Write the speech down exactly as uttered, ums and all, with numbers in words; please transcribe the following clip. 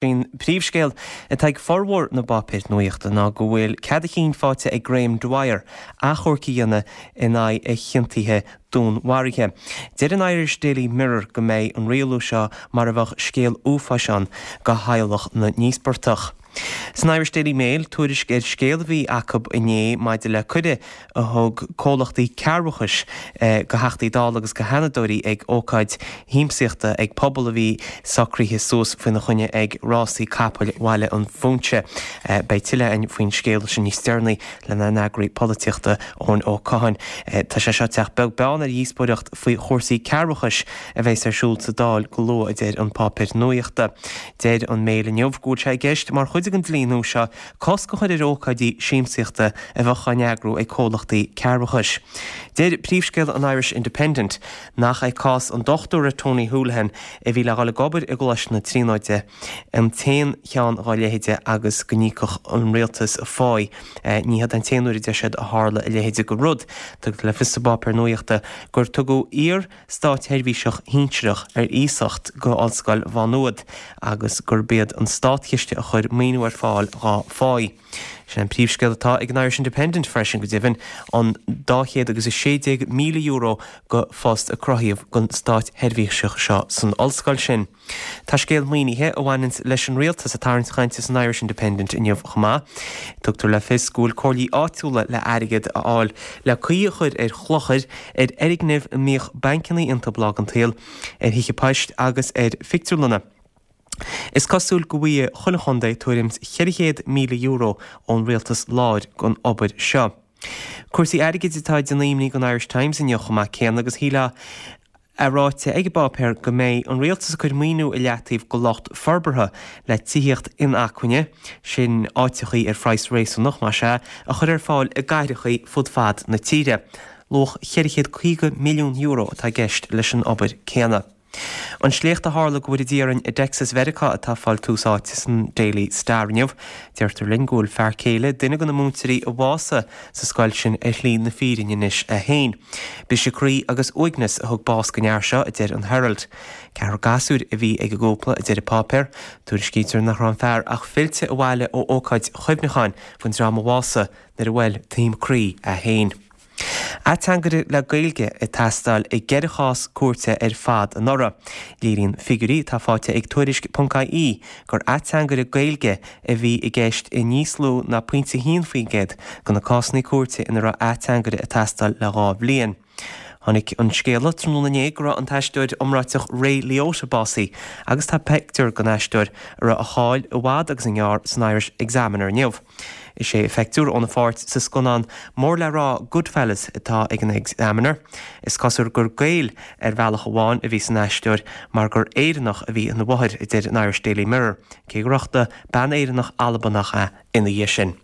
An príomhscéal atá ag formhór na bpáipéar nuachta ná go bhfuil cead a chinn faighte ag Graham Dwyer achomharc a dhéanamh in aghaidh a chiontaithe dúnmharaithe. Deir an Irish Daily Mirror go mbeidh an rialú seo mar a bheadh scéal uafáis ann do theaghlach na n-íospartach. San Irish Daily Mail tuairisc ar scéal a bhí acu inné maidir le cuireadh a thug comhlachtaí cearrbhachais go Theachtaí Dála agus go Seanadóirí ag ócáid shiamsaíochta ag pobal a bhí socraithe suas faoina choinne ag rásaí capaill Bhaile an Phúinse. Beidh tuilleadh againn faoin scéal sin níos deireanaí lenár n-eagraí polaitíochta Eoin Ó Catháin. Tá sé seo ag teacht beag beann ar dhíospóireacht faoi chúrsaí cearrbhachais a bheas ar siúl sa Dáil go luath a deir an páipéar nuachta. Deir an Mail inniu go bhfuil sé i gceist mar chuid den dlí nua seo cosc a chur ar ócáidí siamsaíochta a bheadh á n-eagrú ag comhlachtaí cearrbhachais. Deir príomhscéal an Irish Independent nach é cás an dochtúra Tony Holohan a bhí le dhul ag obair i gColáiste na Tríonóide an t-aon cheann dá leithéide agus go n-íocfadh an rialtas a pháí. Ní hiod an t-aon uair a deir siad a tharla a leithéide de rud. Tugtar le fios sa bpáipéar nuachta gur tugadh iar-státsheirbhíseach shinsearach ar iasacht go Ollscoil Mhá Nuad agus gurb iad an státchiste a chuir maoiniú ar fáil dá pháí. Sin an príomhscéal atá ag an Irish Independent freisin go deimhin an dá chéad agus a sé déag míle euro go phost a cruthaíodh don státsheirbhíseach seo san ollscoil sin. Tá scéal maoinithe a bhaineann leis an rialtas ag tarraingt cainte san Irish Independent inniu chomh maith. Tugtar le fios go bhfuil comhairlí áitiúla le airgead a fháil le caoi a chur ar chlochair ar fhoirgnimh a mbíodh bancanna iontu tráth den tsaol, ar thithe poist agus ar phictiúrlanna. Is cosúil go bhfaighidh chuile chontae tuairim ceithre chéad míle euro ón rialtas láir don obair seo. Cúrsaí airgid atá ag déanamh imní don Irish Times inniu chomh maith céanna agus shílfeá a ráite ag an bpáipéar go mbeidh an rialtas ag cur maoiniú i leataobh go lucht forbartha le tithíocht inacmhainne, sin áiteachaí ar phraghas réasúnach, más ea, a chur ar fáil i gcathrachaí fud fad na tíre. Luach ceithre chéad caoga milliún euro atá i gceist leis an obair céanna. An sléacht a tharla go bhfóire Dia orainn i dTexas Mheiriceá atá ag fáil tús áite san Daily Star inniu. Deirtear linn go bhfuil fear céile duine de na múinteoirí a bhásaigh sa scoil sin ar shlí na fírinne anois é féin. Briseadh croí agus uaigneas a thug bás don fhear seo, a deir an Herald. Ceathrar gasúir a bhí ag an gcúpla, a deir an páipéar. Tuairiscítear nach raibh an fear ach fillte abhaile ó ócáid chuimhneacháin don dream a bhásaigh nuair a bhuail taom croí é féin. Ateangaire le Gaeilge ag teastáil i gceithre chás cúirte ar fad anuraidh. Léiríonn figiúirí atá faighte ag Tuairisc.ie gur ateangaire Gaeilge a bhí i gceist i níos lú ná pointe a haon faoin gcéad de na cásanna cúirte ina raibh ateangaire ag teastáil le dhá bhliain. Tháinig an scéala tráthnóna inné go raibh an t-aisteoir iomráiteach Ray Liotta básaithe agus tá pictiúr den aisteoir a raibh a cháil i bhfad agus i ngearr san Irish Examiner inniu. Is é a phictiúr óna pháirt sa scannán mór le rá Goodfellas atá ag an Examiner. Is cosúil gur Gael ar bhealach amháin a bhí san aisteoir mar gur Éireannach a bhí ina mháthair, a deir an Irish Daily Mirror, cé gur uchtaigh bean Éireannach Albanach é ina dhiaidh sin.